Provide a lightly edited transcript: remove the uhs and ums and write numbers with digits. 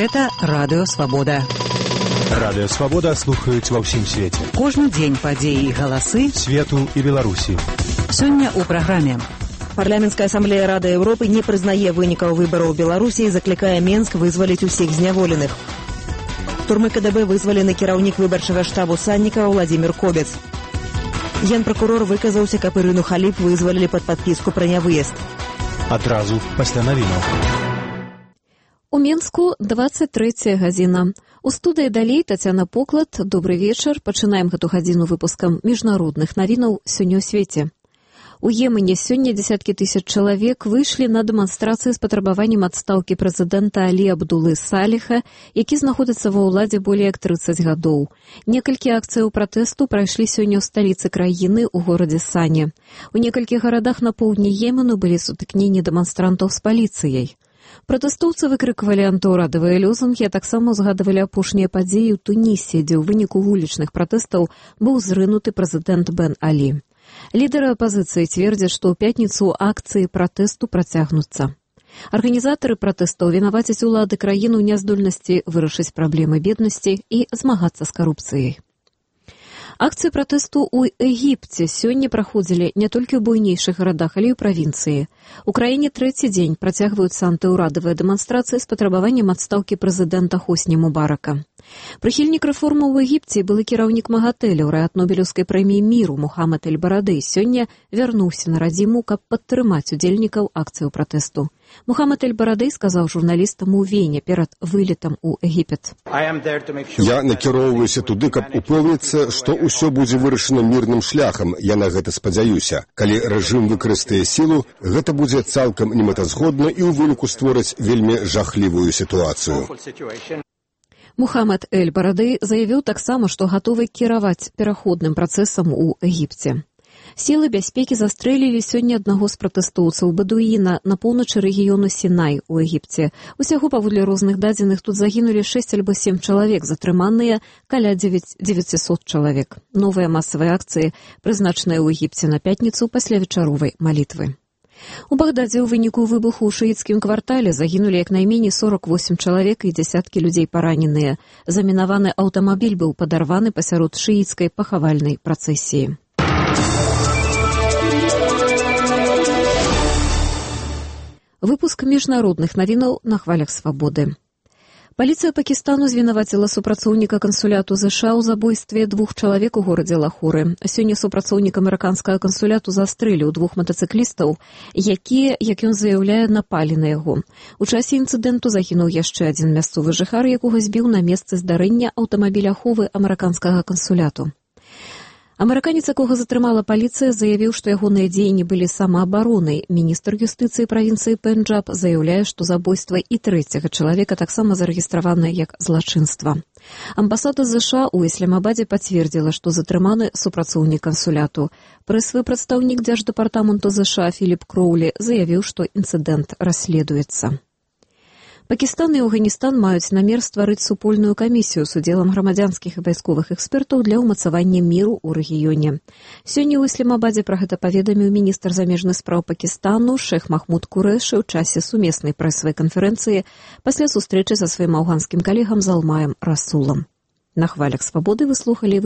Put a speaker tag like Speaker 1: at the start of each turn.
Speaker 1: Гэта Радыё Свабода.
Speaker 2: Радыё Свабода слухаюць ва ўсім свеце.
Speaker 1: Кожны дзень падзеі і галасы
Speaker 2: свету і Беларусі.
Speaker 1: Сёння ў праграме.
Speaker 3: Парламенцкая асамблея Рады Еўропы не прызнае вынікаў выбараў у Беларусі і заклікае Менск вызваліць усіх зняволеных. Турмы КДБ вызвалены кіраўнік выбарчага штабу Саннікава Владзімір Кобец. Генпракурор выказаўся, каб Ірыну Халіп вызвалілі пад падпіску пра нявыезд.
Speaker 2: Адразу пасля навінаў.
Speaker 4: У Менску 23 гадзіна. У студыі далей Тацяна Поклад. Добры вечар. Пачынаем гэту гадзіну выпускам міжнародных навінаў сёння ў свеце. У Йемене сёння дзесяткі тысяч чалавек выйшлі на дэманстрацыі з патрабаваннем адстаўкі прэзідэнта Алі Абдулы Саліха, які знаходзіцца ва ўладзе болей як 30 гадоў. Некалькі акцыяў пратэсту прайшлі сёння ў сталіцы краіны ў горадзе Сане. У некалькіх гарадах на поўдні Йемену былі сутыкненні дэманстрантаў з паліцыяй. Пратэстоўцы выкрыквалі антыўрадавыя лозунгі, а таксама ўзгадывалі апошнія падзеі ў Тунісе, дзе ў выніку вулічных пратэстаў быў зрынуты прэзідэнт Бен Алі. Лідары апазіцыі цвердзяць, што ў пятніцу акцыі пратэсту працягнуцца. Арганізатары пратэстаў вінавацяць улады краіны ў няздольнасці вырашыць праблемы беднасці і змагацца з карупцыяй. Акцыі пратэсту ў Егіпце сёння праходзілі не толькі ў буйнейшых гарадах, але і ў правінцыі. У краіне трэці дзень працягваюцца антыўрадавыя дэманстрацыі з патрабаваннем адстаўкі прэзідэнта Хосні Мубарака. Прыхільнік рэформаў у Егіпце былы кіраўнік МАГАТЭ, лаўрэат Нобелеўскай прэміі міру Мухаммад эль-Барадэй сёння вярнуўся на радзіму, каб падтрымаць удзельнікаў акцыяў пратэсту. Мухаммад эль-Барадэй сказаў журналістам у Вене перад вылетам у Егіпет.
Speaker 5: Я накіроўваюся туды, каб упэўніцца, што ўсё будзе вырашана мірным шляхам. Я на гэта спадзяюся. Калі рэжым выкарыстае сілу, гэта будзе цалкам немэтазгодна і ў выніку створыць вельмі жахлівую сітуацыю.
Speaker 4: Мухаммад эль-Барадэй заявіў таксама, што гатовы кіраваць пераходным працэсам у Егіпце. Сілы бяспекі застрэлілі сёння аднаго з пратэстоўцаў бадуіна на поўначы рэгіёну Сінай у Егіпце. Усяго паводле розных дадзеных тут загінулі 6 альбо 7 чалавек, затрыманыя каля 900 чалавек. Новыя масавыя акцыі прызначаныя ў Егіпце на пятніцу пасля вечаровай малітвы. У Багдадзе ў выніку выбуху ў шыіцкім квартале загінулі як найменей 48 чалавек і дзесяткі людзей параненыя. Замінаваны аўтамабіль быў падарваны пасярод шыіцкай пахавальнай працэсіі. Выпуск міжнародных навінаў на хвалях свабоды. Паліцыя Пакістану звінаваціла супрацоўніка кансуляту ЗША ў забойстве 2 чалавек у горадзе Лахоры. Сёння супрацоўнік амерыканскага кансуляту застрэліў 2 матацыклістаў, якія, як ён заяўляе, напалі на яго. У часе інцыдэнту загінуў яшчэ адзін мясцовы жыхар, якога збіў на месцы здарэння аўтамабіль аховы амерыканскага кансуляту. Амерыканец, якога затрымала паліцыя, заявіў, што ягоныя дзеянні былі самаабаронай. Міністр юстыцыі правінцыі Пенджаб заяўляе, што забойства і 3-го чалавека таксама зарэгістраванае як злачынства. Амбасада ЗША ў Ісламабадзе пацвердзіла, што затрыманы супрацоўнік кансуляту. Прэсавы прадстаўнік дзярждэпартаменту ЗША Філіп Кроулі заявіў, што інцыдэнт расследуецца. Пакістан і Афганістан маюць намер стварыць супольную камісію з удзелам грамадзянскіх і вайсковых экспертаў для ўмацавання міру ў рэгіёне. Сёння ў Ісламабадзе пра гэта паведаміў міністр замежных спраў Пакістану Шэх Махмуд Курэшы ў часе сумеснай прэсавай канферэнцыі пасля сустрэчы са сваім афганскім калегам Залмаем Расулам. На хвалях свабоды вы слухалі